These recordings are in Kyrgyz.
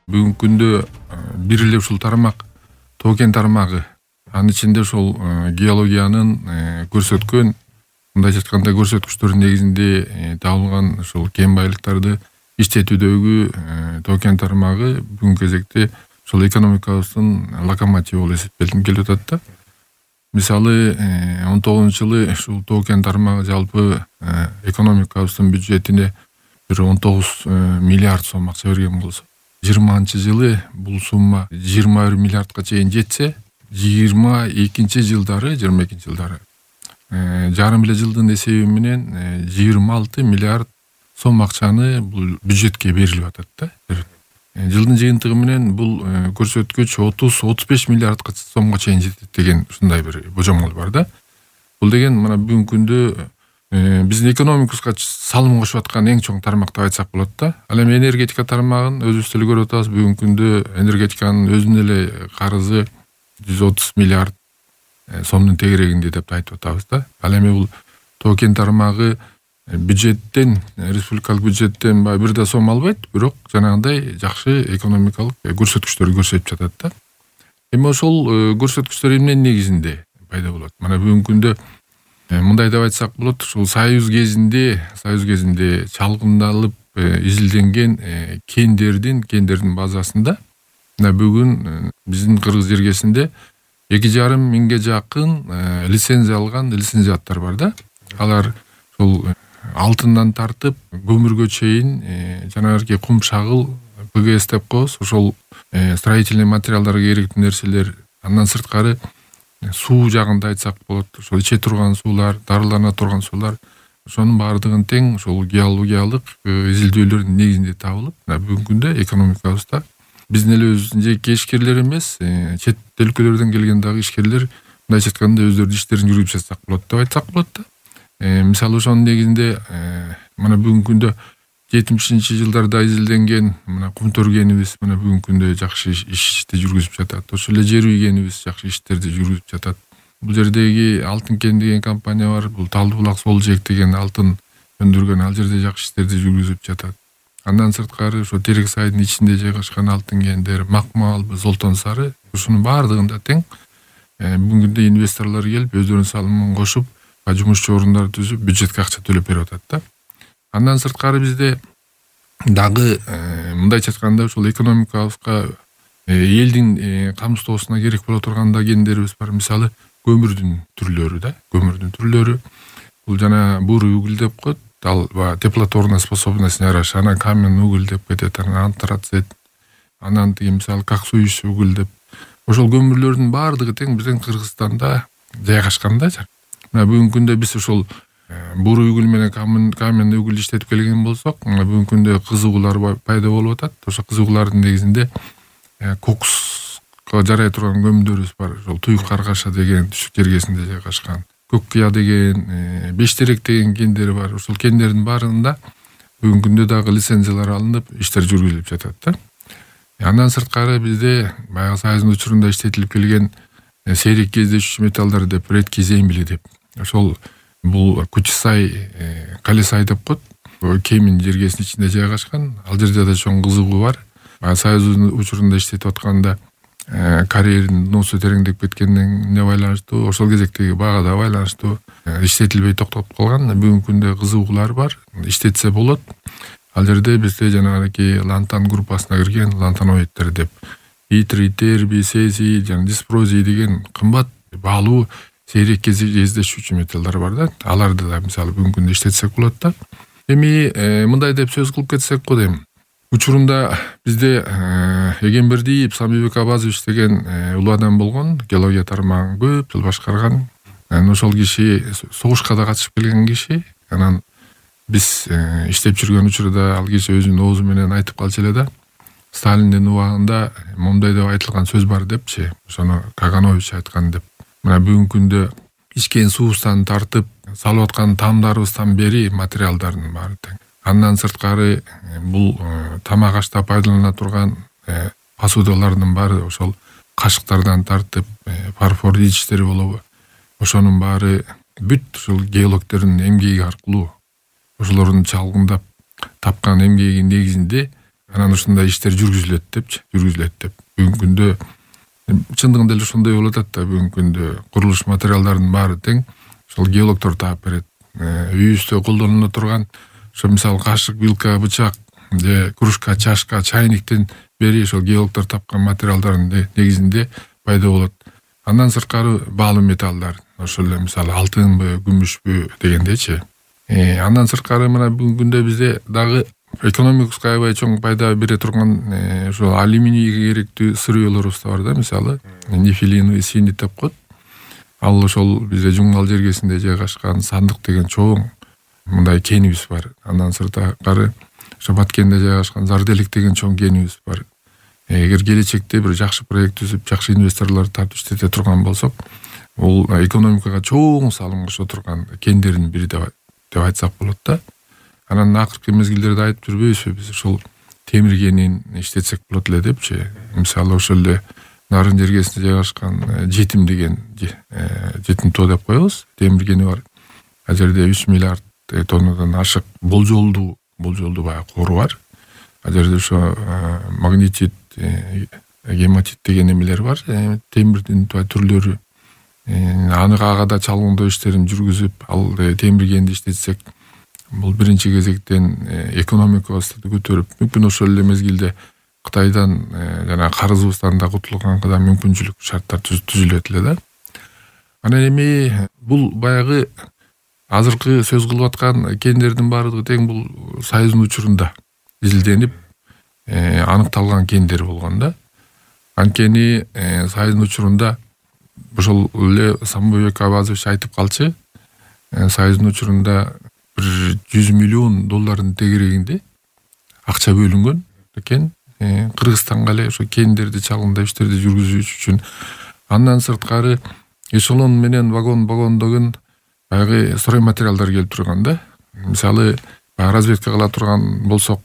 Бүгүнкү күндө бир эле ушул тармак тоо кен тармагы. Анын ичинде ошол геологиянын көрсөткөн, мындайча айтканда көрсөткүчтөрүнүн негизинде табылган ошол кен байлыктарды иштетүүдөгү тоо кен тармагы бүгүнкү кезекте ошол экономикабыздын локомотиви болуп эсептелип келип атат да. Мисалы 19-жылы ушул тоо кен тармагы жалпы экономикабыздын бюджетине бир 19 миллиард сом акча берген болсо, 20-жылы бул сумма 21 миллиардка чейин жетсе, 22-жылдары жарым эле жылдын эсеби менен 26 миллиард сом акчаны бул бюджетке берилип атат да. Жылдын жыйынтыгы менен бул көрсөткүч 30-35 миллиардка сомго чейин жетет деген ушундай бир божомол бар да. Бул деген мына бүгүнкү күндө биздин экономикабызга салым кошуп аткан эң чоң тармак деп айтсак болот да. Ал эми энергетика тармагын өзүбүз деле көрүп атабыз. Бүгүнкү күндө энергетиканын өзүнүн эле карызы 130 миллиард сомдун тегерегинде деп айтып атабыз да. Ал эми бул тоо кен тармагы бюджеттен, республикалык бюджеттен бир да сом албайт, бирок жанагындай жакшы экономикалык көрсөткүчтөр көрсөтүп жатат да. Эми ошол көрсөткүчтөр эмненин негизинде пайда болот? Мына бүгүнкү күндө мындай деп айтсак болот, ушул союз кезинде чалгындалып изилденген кендердин базасында мына бүгүн биздин Кыргыз жергесинде 2,5 миңге жакын лицензия алган лицензиаттар бар да. Алар ушул алтындан тартып көмүргө чейин жанагы кум шагыл, ПГС деп коебуз, ошол строительный материалдарга керектүү нерселер, андан сырткары суу жагында айтсак болот, ошол иче турган суулар, дарылана турган суулар, ошонун баардыгын тең ошол геологиялык изилдөөлөрдүн негизинде табылып, бүгүнкү күндө экономикабызда биздин эле өзүбүздүн жеке ишкерлер эмес, чет өлкөлөрдөн келген дагы ишкерлер мындайча айтканда өздөрүнүн иштерин жүргүзүп жатсак болот деп айтсак болот да. Мисалы ошонун негизинде мына бүгүнкү күндө 70-жылдарда изилденген мына кумтөр кенибиз мына бүгүнкү күндө жакшы ишти жүргүзүп жатат. Ошол эле жер үй кенибиз жакшы иштерди жүргүзүп жатат. Бул жердеги Алтын кен деген компания бар. Бул Талды булак Сол жээк деген алтын өндүргөн, ал жерде жакшы иштерди жүргүзүп жатат. Андан сырткары ошо Терек сайдын ичинде жайгашкан алтын кендер, Макмал, Золтон Сары, ушунун баардыгында тең бүгүнкү күндө инвесторлор келип өздөрүнүн салымын кошуп, жумушчу орундар түзүп, бюджетке акча төлөп берип атат да. Андан сырткары бизде дагы мындайча айтканда ушул экономикабызга элдин камсыздоосуна керек боло турган да кендерибиз бар. Мисалы көмүрдүн түрлөрү да. Көмүрдүн түрлөрү бул жана бурый уголь деп коет. Ал теплотворная способность жараша, анан каменный уголь деп кетет, анан антрацит, анан мисалы коксующий уголь деп. Ошол көмүрлөрдүн баардыгы тең биздин Кыргызстанда жайгашкан да. Мына бүгүнкү күндө биз ошол бурый уголь менен каменный уголь иштетип келген болсок, мына бүгүнкү күндө кызыгуулар пайда болуп атат. Ошо кызыгуулардын негизинде кокска жарай турган көмүрлөрүбүз бар. Ошол Туюк Каргаша деген түштүк жергесинде жайгашкан, Көк Кыя деген, Бештерек деген кендери бар. Ошол кендердин баарында бүгүнкү күндө дагы лицензиялар алынып, иштер жүргүзүлүп жатат да. Андан сырткары бизде баягы Союздун учурунда иштетилип келген сейрек кездешүүчү металлдар деп редкий земли деп. Ошол бул Кучсай, Калисай деп коет. Кемин жергесинин ичинде жайгашкан. Ал жерде да чоң кызыгуу бар. Союздун учурунда иштетип атканда карьердин дносу тереңдеп кеткенине байланыштуу, ошол кезектеги багада байланыштуу иштетилбей токтоп калган. Бүгүнкү күндө кызыгуулар бар. Иштетсе болот. Ал жерде бизде жанагы лантан группасына кирген лантаноидтер деп итрий, тербий, цезий жана диспрозий деген кымбат баалуу сейрек кездешүүчү металлдар бар да. Аларды да мисалы бүгүнкү күндө иштетсек болот да. Эми мындай деп сөз кылып кетсек болот эми. Учурунда бизде Эгембердиев Самбек Абазович деген улуу адам болгон, геология тармагын көп жыл башкарган. Ошол киши согушка да катышып келген киши. Анан биз иштеп жүргөн учурда ал киши өзүнүн оозу менен айтып калчу эле да. Сталиндин убагында мондай деп айтылган сөз бар депчи. Ошону Каганович айткан деп. Мына бүгүнкү күндө ичкен суубуздан тартып салып аткан тамдарыбыздан бери материалдардын баары тең. Андан сырткары бул тамак ашта пайдалана турган посудалардын баары ошол кашыктардан тартып фарфор идиштери болобу. Ошонун баары бүт ушул геологдордун эмгеги аркылуу ошолордун чалгындап тапкан эмгегинин негизинде анан ушундай иштер жүргүзүлөт деп бүгүнкү күндө чындыгында эле ошондой болуп атат да. Бүгүнкү күндө курулуш материалдарынын баары тең ошол геологдор таап берет. Үйүбүздө колдонуло турган ошо мисалы кашык, вилка, бычак же кружка, чашка, чайниктен бери ошол геологдор тапкан материалдардын негизинде пайда болот. Андан сырткары баалуу металлдар, ошол эле мисалы алтынбы, күмүшпү дегендейчи. Андан сырткары мына бүгүнкү күндө бизде дагы экономикабызга аябай чоң пайда бере турган ошол алюминийге керектүү сырыөлөрүбүз да бар да, мисалы нефилиновый синит деп коет. Ал ошол бизде Жуңгал жергесинде жайгашкан Сандык деген чоң мындай кенибиз бар. Андан сырткары ошо Баткенде жайгашкан Зарделик деген чоң кенибиз бар. Эгер келечекте бир жакшы проект түзүп, жакшы инвесторлорду тартып иштете турган болсок, бул экономикага чоң салым кошо турган кендердин бири деп айтсак болот да. Анан акыркы мезгилдерде айтып жүрбөйбүзбү биз ошол темир кенин иштетсек болот эле депчи. Мисалы ошол эле Нарын жергесинде жайгашкан Жетим деген Жетим тоо деп коебуз, темир кени бар. Ал жерде 3 миллиард тоннадан ашык болжолдуу баягы кору бар. Ал жерде ошо магнетит, гематит деген эмелер бар, темирдин түрлөрү. Ага да чалгындоо иштерин жүргүзүп, ал темир кенди иштетсек, бул биринчи кезектен экономикабызды көтөрүп, мүмкүн ошол эле мезгилде Кытайдан жана карызыбыздан да кутулганга да мүмкүнчүлүк шарттар түзүлөт эле да. Анан эми бул баягы азыркы сөз кылып аткан кендердин баардыгы тең бул Союздун учурунда изилденип аныкталган кендер болгон да. Анткени Союздун учурунда ошол эле Самойбек Абазович айтып калчу, Союздун учурунда бир 100 миллион доллардын тегерегинде акча бөлүнгөн экен Кыргызстанга эле ошо кендерди чалгындап иштерди жүргүзүш үчүн. Андан сырткары эшелон менен вагондогон баягы строй материалдар келип турган да. Мисалы разведка кыла турган болсок,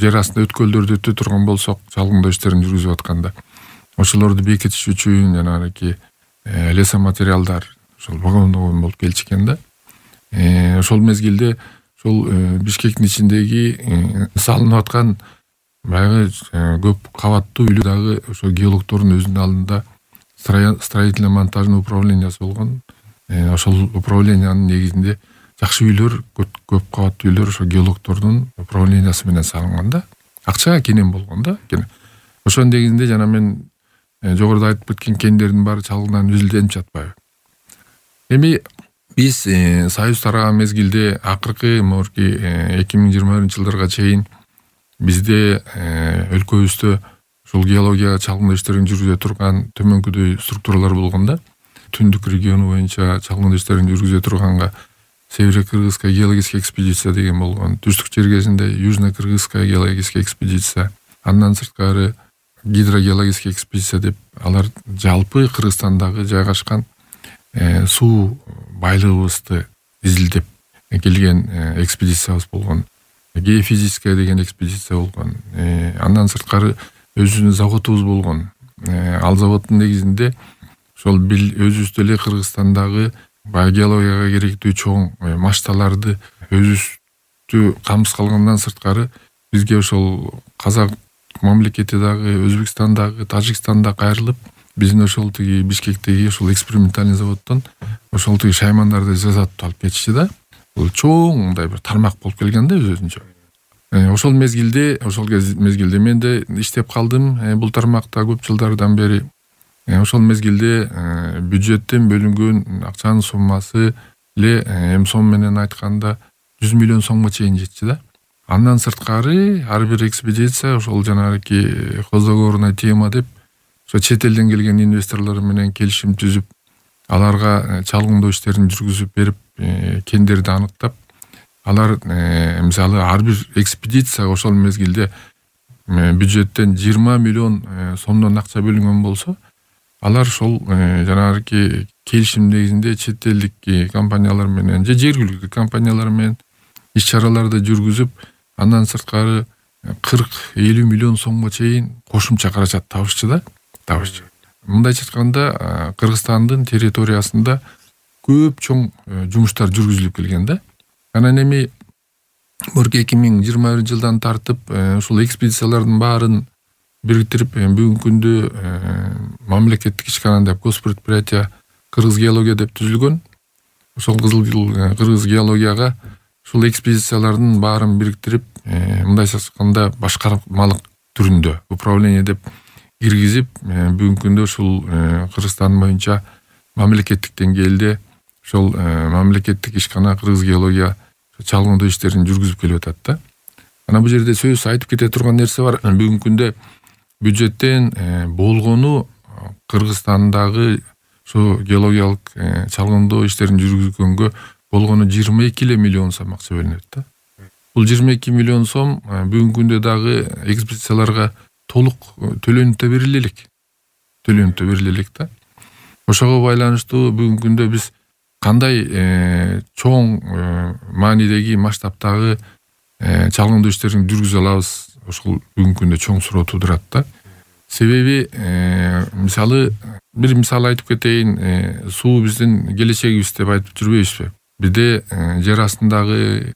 жер астында өткөлдөрдү өтө турган болсок, чалгындоо иштерин жүргүзүп атканда ошолорду бекитиш үчүн жанагы лесоматериалдар ошол вагондогон болуп келчү экен да. Ошол мезгилде ошол Бишкектин ичиндеги салынып аткан баягы көп кабаттуу үйлөр дагы ошо геологдордун өзүнүн алдында строительно-монтажный управлениясы болгон. Ошол управлениянын негизинде жакшы үйлөр, көп кабаттуу үйлөр ошо геологдордун управлениясы менен салынган да. Акча кенен болгон да. Ошонун негизинде жана мен жогоруда айтып кеткен кендердин баары чалгындан үзүлденип жатпайбы. Эми биз Союз тараган мезгилде акыркы 2021-жылдарга чейин бизде өлкөбүздө ушул геология чалгындоо иштерин жүргүзө турган төмөнкүдөй структуралар болгон да. Түндүк региону боюнча чалгындоо иштерин жүргүзө турганга Северо-Кыргызская геологическая экспедиция деген болгон. Түштүк жергесинде Южно-Кыргызская геологическая экспедиция. Андан сырткары гидрогеологическая экспедиция деп алар жалпы Кыргызстандагы жайгашкан суу байлыгыбызды изилдеп келген экспедициябыз болгон. Геофизическая деген экспедиция болгон. Андан сырткары өзүбүздүн заводубуз болгон. Ал заводдун негизинде ошол өзүбүздө эле Кыргызстандагы геологияга керектүү чоң мачталарды өзүбүздү камсыз кылгандан сырткары бизге ошол Казак мамлекети дагы, Өзбекстан дагы, Тажикстан да кайрылып, биздин ошол тиги Бишкектеги ошол экспериментальный заводдон ошол тиги шаймандарды жасатып алып кетишти да. Бул чоң мындай бир тармак болуп келген да өзүнчө. Ошол мезгилде мен да иштеп калдым бул тармакта көп жылдардан бери. Ошол мезгилде бюджеттен бөлүнгөн акчанын суммасы эле эми сом менен айтканда 100 миллион сомго чейин жетчү да. Андан сырткары ар бир экспедиция ошол жанагы хозоговорная тема деп ошо чет элден келген инвесторлор менен келишим түзүп, аларга чалгындоо иштерин жүргүзүп берип, кендерди аныктап, алар мисалы ар бир экспедиция ошол мезгилде бюджеттен 20 миллион сомдон акча бөлүнгөн болсо, алар ошол жанагы келишим негизинде чет элдик компаниялар менен же жергиликтүү компаниялар менен иш-чараларды жүргүзүп, андан сырткары 40-50 миллион сомго чейин кошумча каражат табышчу да. Мындайча айтканда, Кыргызстандын территориясында көп чоң жумуштар жүргүзүлүп келген да. Анан эми Мурки 2021-жылдан тартып ушул экспедициялардын баарын бириктирип бүгүнкү күндө мамлекеттик ишкана деп госпредприятие Кыргыз геология деп түзүлгөн. Ошол Кыргыз геологияга ушул экспедициялардын баарын бириктирип, мындайча айтканда башкармалык түрүндө управление деп киргизип, бүгүнкү күндө ушул Кыргызстан боюнча мамлекеттик деңгээлде ошол мамлекеттик ишкана Кыргыз геология чалгындоо иштерин жүргүзүп келип атат да. Анан бул жерде сөзсүз айтып кете турган нерсе бар. Бүгүнкү күндө бюджеттен болгону Кыргызстандагы ошо геологиялык чалгындоо иштерин жүргүзгөнгө болгону 22 миллион сом акча бөлүнөт да. Бул 22 миллион сом бүгүнкү күндө дагы экспедицияларга толук төлөнүп берилелек да. Ошого байланыштуу бүгүнкү күндө биз кандай чоң маанидеги масштабтагы чалгындоо иштерин жүргүзө алабыз, ошол бүгүнкү күндө чоң суроо туудурат да. Себеби мисалы бир мисал айтып кетейин, суу биздин келечегибиз деп айтып жүрбөйбүзбү? Бизде жер астындагы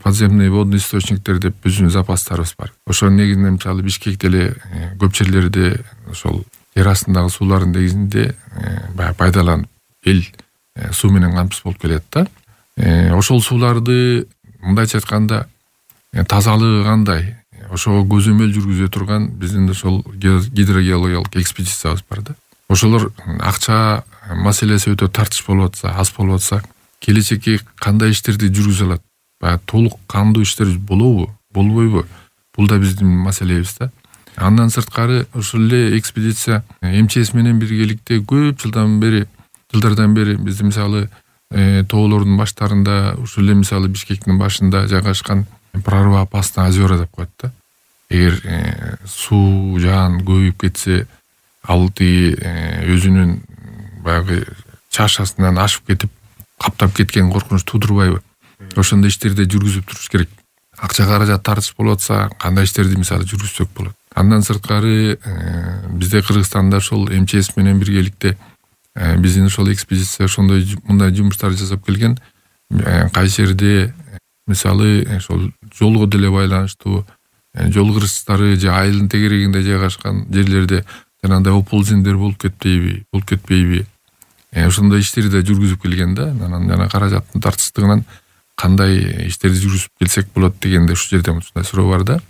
подземный водный источниктер деп биздин запастарыбыз бар. Ошонун негизинде мисалы Бишкекте эле көп жерлерде ошол жер астындагы суулардын негизинде пайдаланып эл суу менен камсыз болуп келет да. Ошол сууларды мындайча айтканда тазалыгы кандай, ошого көзөмөл жүргүзө турган биздин ошол гидрогеологиялык экспедициябыз бар да. Ошолор акча маселеси өтө тартыш болуп атса, аз болуп атса, келечекке кандай иштерди жүргүзө алат? Баягы толук кандуу иштер болобу, болбойбу? Бул да биздин маселебиз да. Андан сырткары ошол эле экспедиция МЧС менен биргеликте көп жылдардан бери бизди мисалы тоолордун баштарында, ушул эле мисалы Бишкектин башында жайгашкан прорва опасный озера деп коет да. Эгер суу жаан көбөйүп кетсе, ал өзүнүн баягы чашасынан ашып кетип, каптап кеткен коркунуч туудурбайбы? Ошондой иштерди жүргүзүп туруш керек. Акча каражат тартыш болуп атса, кандай иштерди мисалы жүргүзсөк болот. Андан сырткары бизде Кыргызстанда ошол МЧС менен биргеликте биздин ошол экспедиция ошондой мындай жумуштарды жасап келген. Кайсы жерде мисалы ошол жолго деле байланыштуу жол кырсыктары же айылдын тегерегинде жайгашкан жерлерде жанагындай оползендер болуп кетпейби? Ошондой иштерди да жүргүзүп келген да. Анан жана каражаттын тартыштыгынан кандай иштерди жүргүзүп келсек болот дегенде ушул жерде ушундай суроо бар да.